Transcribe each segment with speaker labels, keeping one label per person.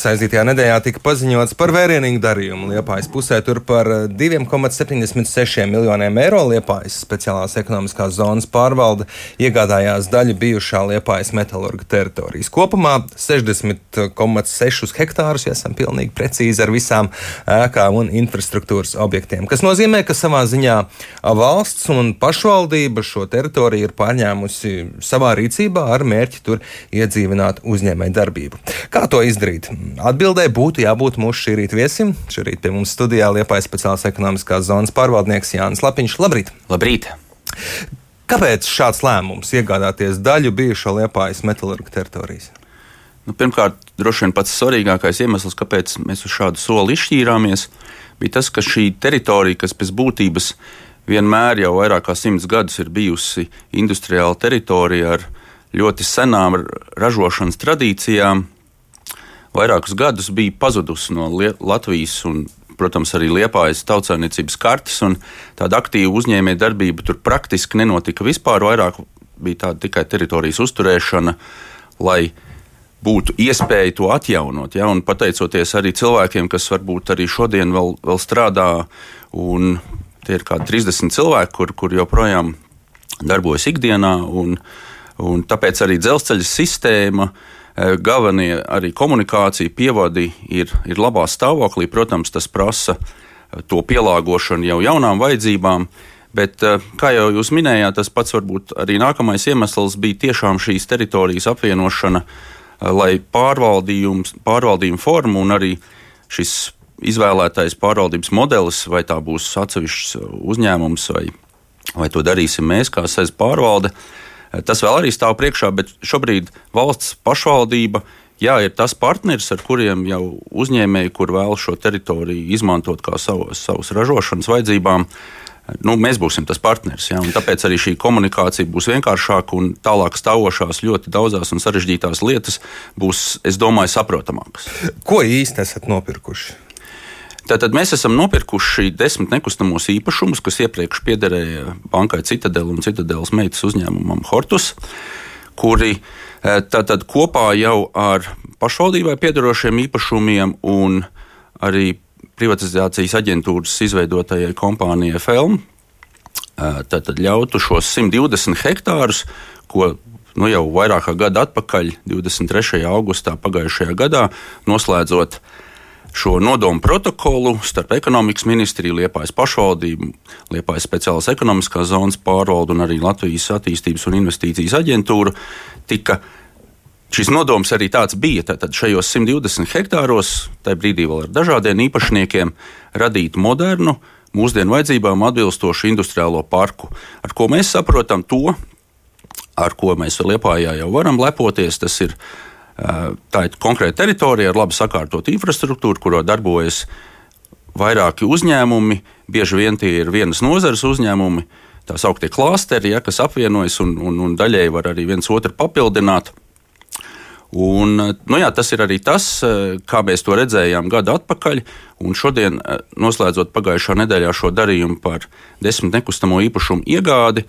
Speaker 1: Aizītajā nedēļā tika paziņots par vērienīgu darījumu Liepājas pusē. Tur par 2,76 miljoniem eiro Liepājas speciālās ekonomiskās zonas pārvalde iegādājās daļu bijušā Liepājas metalurga teritorijas. Kopumā 60,6 hektārus, ja esam pilnīgi precīzi ar visām ēkām un infrastruktūras objektiem. Kas nozīmē, ka savā ziņā valsts un pašvaldība šo teritoriju ir pārņēmusi savā rīcībā ar mērķi tur iedzīvināt uzņēmēju darbību. Kā to izdarīt? Atbildē būtu jābūt mūsu šī rīta viesim. Šorīt pie mums studijā Liepājas speciālās ekonomiskās zonas pārvaldnieks Jānis Lapiņš. Labrīt!
Speaker 2: Labrīt!
Speaker 1: Kāpēc šāds lēmums iegādāties daļu bijušo Liepājas metalurga teritorijas?
Speaker 2: Pirmkārt, droši vien pats svarīgākais iemesls, kāpēc mēs uz šādu soli izšķīrāmies, bija tas, ka šī teritorija, kas pēc būtības vienmēr jau vairāk kā 100 gadus ir bijusi industriāla teritorija ar ļoti senām ražošanas tradīcijām, vairākus gadus bija pazudusi no Latvijas un, protams, arī Liepājas tautsaimniecības kartes, un tāda aktīva uzņēmēja darbība tur praktiski nenotika vispār. Vairāk bija tāda tikai teritorijas uzturēšana, lai būtu iespēja to atjaunot. Ja? Un pateicoties arī cilvēkiem, kas varbūt arī šodien vēl strādā, un tie ir kādi 30 cilvēki, kur joprojām darbojas ikdienā, un tāpēc arī dzelzceļa sistēma, galvenie arī komunikācija, pievadi ir labā stāvoklī. Protams, tas prasa to pielāgošanu jau jaunām vajadzībām, bet, kā jau jūs minējāt, tas pats varbūt arī nākamais iemesls bija tiešām šīs teritorijas apvienošana, lai pārvaldījumu formu un arī šis izvēlētais pārvaldības modelis, vai tā būs atsevišķs uzņēmums, vai to darīsim mēs kā SEZ pārvalde, tas vēl arī stāv priekšā, bet šobrīd valsts pašvaldība, ir tas partneris, ar kuriem jau uzņēmēji, kur vēl šo teritoriju izmantot kā savas ražošanas vajadzībām, mēs būsim tas partneris. Ja? Un tāpēc arī šī komunikācija būs vienkāršāka un tālāk stāvošās ļoti daudzās un sarežģītās lietas būs, es domāju, saprotamākas.
Speaker 1: Ko īsti esat nopirkuši?
Speaker 2: Tātad mēs esam nopirkuši 10 nekustamos īpašumus, kas iepriekš piederēja bankai Citadele un Citadeles meitas uzņēmumam Hortus, kuri tātad kopā jau ar pašvaldībai piederošiem īpašumiem un arī privatizācijas aģentūras izveidotajai kompānijai Felm tātad ļautu šos 120 hektārus, ko jau vairāk kā gadu atpakaļ, 23. augustā pagājušajā gadā, noslēdzot šo nodomu protokolu starp ekonomikas ministriju, Liepājas pašvaldību, Liepājas speciālās ekonomiskās zonas pārvaldu un arī Latvijas attīstības un investīcijas aģentūru, šis nodoms arī tāds bija. Tātad šajos 120 hektāros, tajā brīdī vēl ar dažādiem īpašniekiem, radīt modernu, mūsdienu vajadzībām atbilstošu industriālo parku. Ar ko mēs saprotam to, ar ko mēs Liepājā jau varam lepoties, tas ir tā ir konkrēta teritorija ar labi sakārtotu infrastruktūru, kurā darbojas vairāki uzņēmumi. Bieži vien tie ir vienas nozares uzņēmumi, tā sauktie klāsteri, kas apvienojas un daļēji var arī viens otru papildināt. Un, tas ir arī tas, kā mēs to redzējām gadu atpakaļ. Un šodien, noslēdzot pagājušā nedēļā šo darījumu par 10 nekustamo īpašumu iegādi,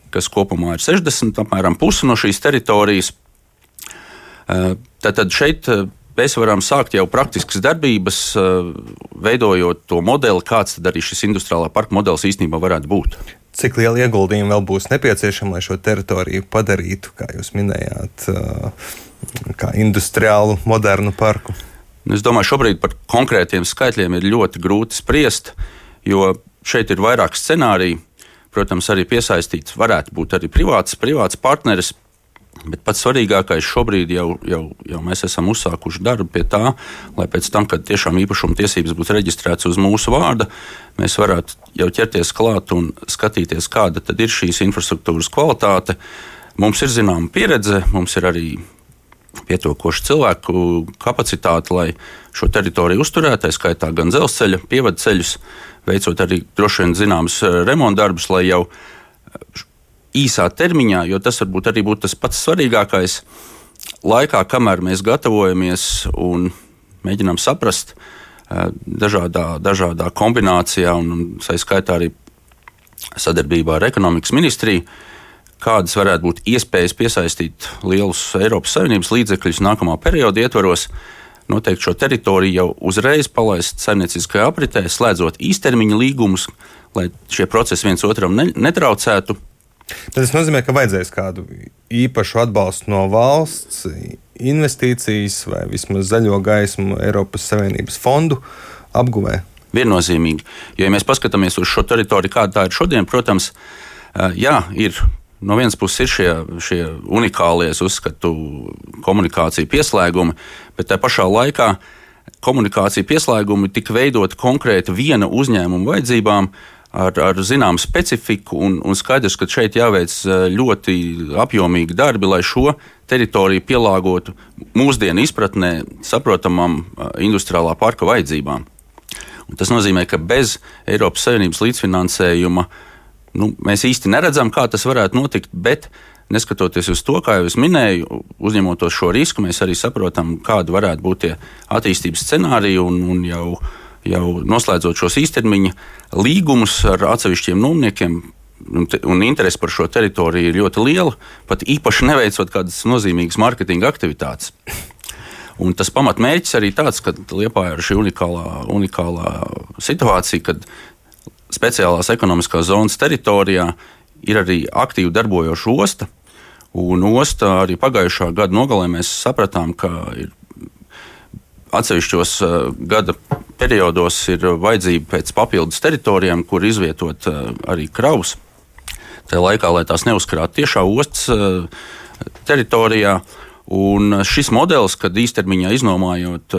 Speaker 2: kas kopumā ir 60, apmēram pusi no šīs teritorijas, tad šeit mēs varam sākt jau praktiskas darbības, veidojot to modeli, kāds tad arī šis industriālā parka modelis īstenībā varētu būt.
Speaker 1: Cik liela ieguldījuma vēl būs nepieciešama, lai šo teritoriju padarītu, kā jūs minējāt, kā industriālu, modernu parku?
Speaker 2: Es domāju, šobrīd par konkrētiem skaitļiem ir ļoti grūti spriest, jo šeit ir vairāk scenāriju. Protams, arī piesaistīts varētu būt arī privāts partneris. Bet pats svarīgākais šobrīd jau mēs esam uzsākuši darbu pie tā, lai pēc tam, kad tiešām īpašuma tiesības būs reģistrētas uz mūsu vārda, mēs varētu jau ķerties klāt un skatīties, kāda tad ir šīs infrastruktūras kvalitāte. Mums ir zināma pieredze, mums ir arī pietiekoša cilvēku kapacitāte, lai šo teritoriju uzturētu, tā skaitā gan dzelzceļa, pievadceļus, veicot arī droši vien zināmas remontdarbus, lai jau īsā termiņā, jo tas varbūt arī būtu tas pats svarīgākais laikā, kamēr mēs gatavojamies un mēģinām saprast dažādā kombinācijā un skaitā arī sadarbībā ar ekonomikas ministriju, kādas varētu būt iespējas piesaistīt lielus Eiropas Savienības līdzekļus nākamā perioda ietvaros, noteikti šo teritoriju jau uzreiz palaist saimnieciskajā apritē, slēdzot īstermiņa līgumus, lai šie procesi viens otram netraucētu.
Speaker 1: Tas nozīmē, ka vajadzēs kādu īpašu atbalstu no valsts, investīcijas vai vismaz zaļo gaismu Eiropas Savienības fondu apguvē.
Speaker 2: Viennozīmīgi. Jo, ja mēs paskatāmies uz šo teritoriju, kāda tā ir šodien, protams, ir no vienas puses ir šie unikālie, es uzskatu, komunikācija pieslēgumi, bet tā pašā laikā komunikācija pieslēgumi tika veidoti konkrēti viena uzņēmuma vajadzībām, ar zināmu specifiku, un skaidrs, ka šeit jāveic ļoti apjomīgi darbi, lai šo teritoriju pielāgotu mūsdienu izpratnē saprotamam industriālā parka vajadzībām. Un tas nozīmē, ka bez Eiropas Savienības līdzfinansējuma mēs īsti neredzam, kā tas varētu notikt, bet neskatoties uz to, kā jau es minēju, uzņemoties šo risku, mēs arī saprotam, kādi varētu būt tie attīstības scenāriji un jau noslēdzot šos īstermiņa līgumus ar atsevišķiem nomniekiem, un interesi par šo teritoriju ir ļoti liela, pat īpaši neveicot kādas nozīmīgas mārketinga aktivitātes. Un tas pamatmērķis arī tāds, ka Liepājā ir šī unikālā situācija, kad speciālās ekonomiskās zonas teritorijā ir arī aktīvi darbojoša osta, un osta arī pagājušā gada nogalē mēs sapratām, ka ir atsevišķos gada periodos ir vajadzība pēc papildus teritorijām, kur izvietot arī kravus. Tajā laikā, lai tās neuzkrātu tiešā ostas teritorijā, un šis modelis, kad īstermiņā iznomājot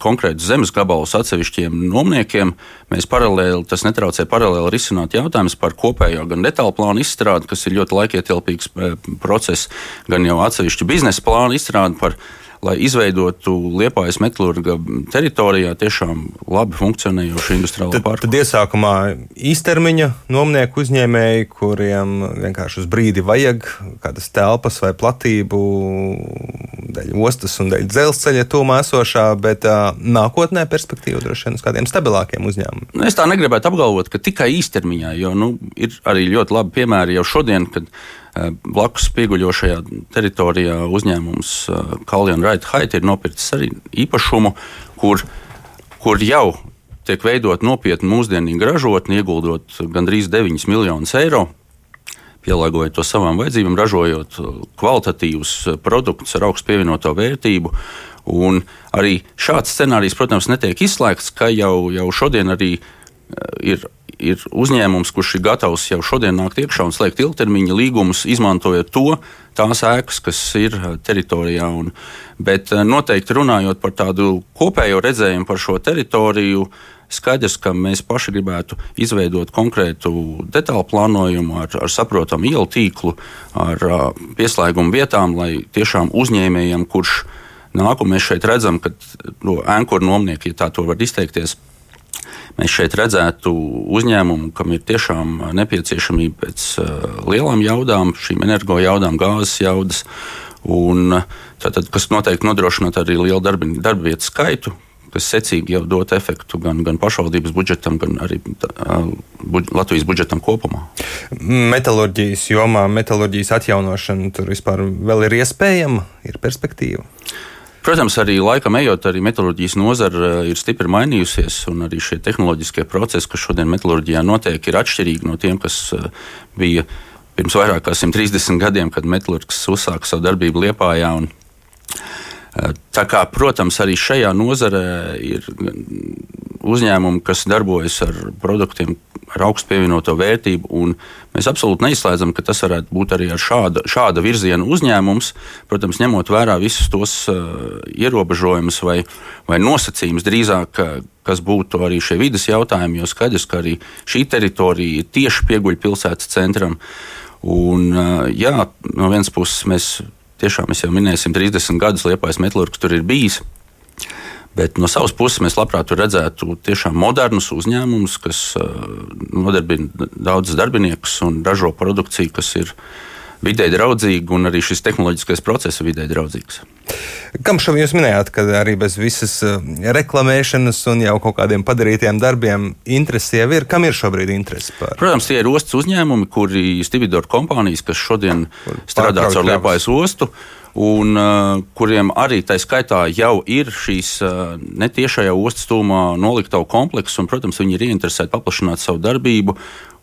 Speaker 2: konkrētus zemes gabalus atsevišķiem nomniekiem, mēs tas netraucē paralēli risināt jautājumus par kopējo gan detālu plānu izstrādi, kas ir ļoti laikietilpīgs process, gan jau atsevišķu biznesa plānu izstrādi lai izveidotu Liepājas metalurga teritorijā tiešām labi funkcionējošu industriālo parku.
Speaker 1: Tad iesākumā īstermiņa nomnieku uzņēmēji, kuriem vienkārši uz brīdi vajag kādas telpas vai platību dēļ ostas un dēļ dzelzceļa tūmā esošā, bet nākotnē perspektīva droši vien uz kādiem stabilākiem uzņēmumiem.
Speaker 2: Es tā negribētu apgalvot, ka tikai īstermiņā, jo ir arī ļoti labi piemēri jau šodien, kad blakus pieguļošajā teritorijā uzņēmums Kallion Wright Height ir nopircis arī īpašumu, kur jau tiek veidot nopietni mūsdienīgi ražotni, ieguldot gandrīz 9 miljonus eiro, pielāgojot to savām vajadzībām, ražojot kvalitatīvus produktus ar augstu pievienoto vērtību. Un arī šāds scenārijs, protams, netiek izslēgts, ka jau šodien arī ir uzņēmums, kurš ir gatavs jau šodien nākt iekšā un slēgt ilgtermiņa līgumus, izmantojot tās ēkas, kas ir teritorijā. Bet noteikti runājot par tādu kopējo redzējumu par šo teritoriju, skaidrs, ka mēs paši gribētu izveidot konkrētu detālu plānojumu ar saprotamu ielu tīklu, ar pieslēgumu vietām, lai tiešām uzņēmējiem, kurš nāk, un mēs šeit redzam, ka ēnkuru nomnieki, ja tā to var izteikties, mēs šeit redzētu uzņēmumu, kam ir tiešām nepieciešamība pēc lielām jaudām, šīm energo jaudām, gāzes jaudas, un tātad, kas noteikti nodrošināt arī lielu darba vietu skaitu, kas secīgi jau dot efektu gan pašvaldības budžetam, gan arī Latvijas budžetam kopumā.
Speaker 1: Metalurģijas jomā, metalurģijas atjaunošana tur vispār vēl ir iespējama, ir perspektīva?
Speaker 2: Protams, arī laikam ejot, arī metalurģijas nozara ir stipri mainījusies, un arī šie tehnoloģiskie procesi, kas šodien metalurģijā notiek, ir atšķirīgi no tiem, kas bija pirms vairāk kā 130 gadiem, kad metalurgs uzsāka savu darbību Liepājā. Tā kā, protams, arī šajā nozarē ir uzņēmumi, kas darbojas ar produktiem ar augstu pievienoto vērtību, un mēs absolūti neizslēdzam, ka tas varētu būt arī ar šāda virziena uzņēmums, protams, ņemot vērā visus tos ierobežojumus vai nosacījumus drīzāk, kas būtu arī šie vides jautājumi, jo skaidrs, ka arī šī teritorija ir tieši pieguļ pilsētas centram. Un, no vienas puses mēs jau minēsim 30 gadus Liepājas metalurgs tur ir bijis, bet no savas puses mēs labprāt redzētu tiešām modernus uzņēmumus, kas nodarbina daudzus darbiniekus un ražo produkciju, kas ir vidē draudzīga, un arī šis tehnoloģiskais process ir vidē draudzīgs.
Speaker 1: Kam šobrīd jūs minējāt, ka arī bez visas reklamēšanas un jau kaut kādiem padarītiem darbiem interesi jau ir? Kam ir šobrīd interesi par?
Speaker 2: Protams, tie ir ostas uzņēmumi, kuri Stividor kompānijas, kas šodien strādā caur Liepājas ostu, un kuriem arī tā skaitā jau ir šīs netiešajā ostas tūmā noliktavu komplekss, un, protams, viņi ir ieinteresēti paplašināt savu darbību.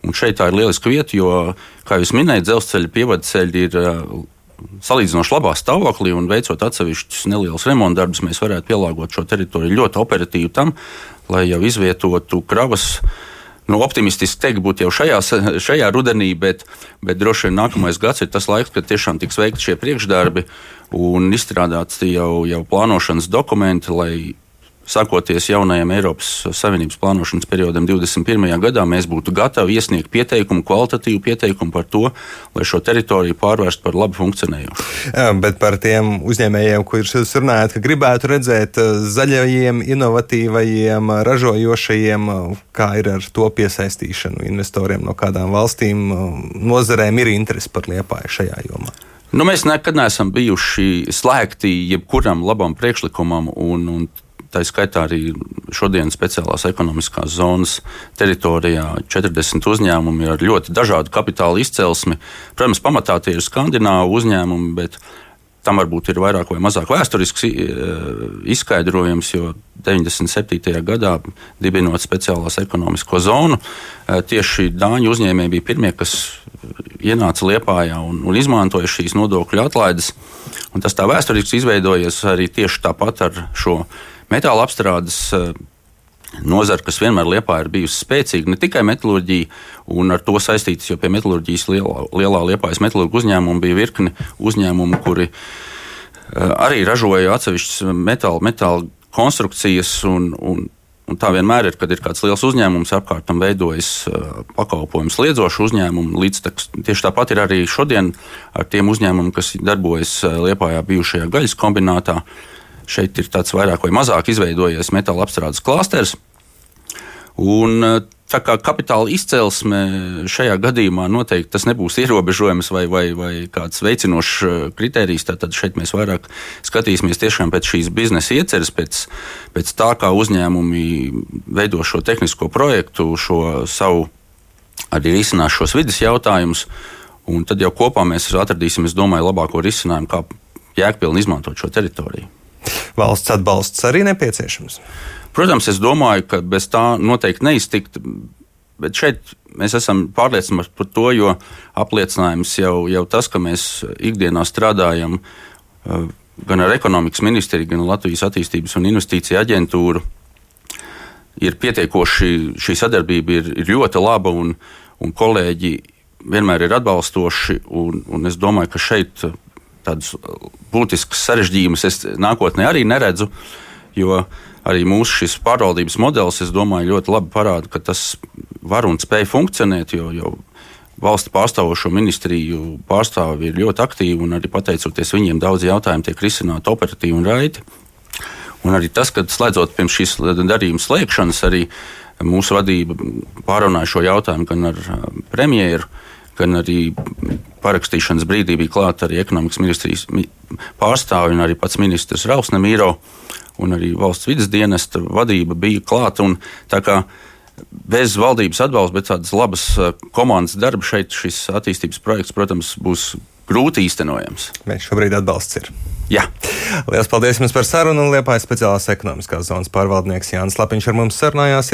Speaker 2: Un šeit tā ir lieliska vieta, jo, kā jūs minējat, dzelzceļa pievadceļi ir salīdzinoši labā stāvoklī, un veicot atsevišķus nelielus remontdarbus, mēs varētu pielāgot šo teritoriju ļoti operatīvi tam, lai jau izvietotu kravas. Optimistiski teikt, būtu jau šajā rudenī, bet droši vien nākamais gads ir tas laiks, kad tiešām tiks veikti šie priekšdarbi un izstrādāts jau plānošanas dokumenti, lai sākoties jaunajam Eiropas Savienības plānošanas periodam 21. gadā, mēs būtu gatavi iesniegt pieteikumu, kvalitatīvu pieteikumu par to, lai šo teritoriju pārvērst par labi funkcionējošu.
Speaker 1: Bet par tiem uzņēmējiem, kurus jūs runājat, ka gribētu redzēt zaļajiem, inovatīvajiem, ražojošajiem, kā ir ar to piesaistīšanu investoriem no kādām valstīm, nozarēm ir interesi par Liepāju šajā jomā?
Speaker 2: Mēs nekad neesam bijuši slēgti jebkuram labam priekšlikumam, un tā skaitā arī šodien speciālās ekonomiskās zonas teritorijā 40 uzņēmumi ar ļoti dažādu kapitāla izcelsmi. Protams, pamatā tie ir skandināvu uzņēmumi, bet tam varbūt ir vairāk vai mazāk vēsturisks izskaidrojums, jo 97. gadā dibinot speciālās ekonomisko zonu, tieši dāņu uzņēmēji bija pirmie, kas ienāca Liepājā un izmantoja šīs nodokļu atlaides. Un tas tā vēsturiski izveidojies arī tieši tāpat ar šo metāla apstrādes nozara, kas vienmēr Liepājā ir bijusi spēcīga, ne tikai metalurģija un ar to saistītas, jo pie metalurģijas lielā Liepājas metalurgu uzņēmumu bija virkni uzņēmumu, kuri arī ražoja atsevišķas metāla konstrukcijas, un tā vienmēr ir, kad ir kāds liels uzņēmums apkārt tam veidojas pakalpojums liedzošu uzņēmumu. Tieši tāpat ir arī šodien ar tiem uzņēmumiem, kas darbojas Liepājā bijušajā gaļas kombinātā. Šeit ir tāds vairāk vai mazāk izveidojies metāla apstrādes klāsters. Un tā kā kapitāla izcelsme šajā gadījumā noteikti tas nebūs ierobežojums vai kāds veicinošs kritērijs, tad šeit mēs vairāk skatīsimies tiešām pēc šīs biznesa ieceres, pēc tā, kā uzņēmumi veido šo tehnisko projektu, šo savu arī risinās šos vides jautājumus, un tad jau kopā mēs atradīsim, es domāju, labāko risinājumu, kā jēgpilni izmantot šo teritoriju.
Speaker 1: Valsts atbalsts arī nepieciešams?
Speaker 2: Protams, es domāju, ka bez tā noteikti neiztikt, bet šeit mēs esam pārliecināti par to, jo apliecinājums jau tas, ka mēs ikdienā strādājam gan ar ekonomikas ministriju, gan Latvijas attīstības un investīciju aģentūru, ir pietiekoši, šī sadarbība ir ļoti laba, un kolēģi vienmēr ir atbalstoši, un es domāju, ka šeit tādus būtiskus sarežģījumus es nākotnē arī neredzu, jo arī mūsu šis pārvaldības modelis, es domāju, ļoti labi parāda, ka tas var un spēj funkcionēt, jo valsts pārstāvošo ministriju pārstāvi ir ļoti aktīvi, un arī pateicoties viņiem daudz jautājumu tiek risināti operatīvi un raiti. Un arī tas, ka slēdzot pirms šīs darījuma slēgšanas, arī mūsu vadība pārunāja šo jautājumu gan ar premjeru, gan arī parakstīšanas brīdī bija klāta arī ekonomikas ministrijas pārstāvi un arī pats ministrs Ralfs Nemīro, un arī valsts vides dienesta vadība bija klāta. Tā kā bez valdības atbalsta, bet tādas labas komandas darba šeit šis attīstības projekts, protams, būs grūti īstenojams.
Speaker 1: Bet šobrīd atbalsts ir.
Speaker 2: Jā.
Speaker 1: Lielas paldies jums par sarunu, un Liepājas speciālās ekonomiskās zonas pārvaldnieks Jānis Lapiņš ar mums sarunājās.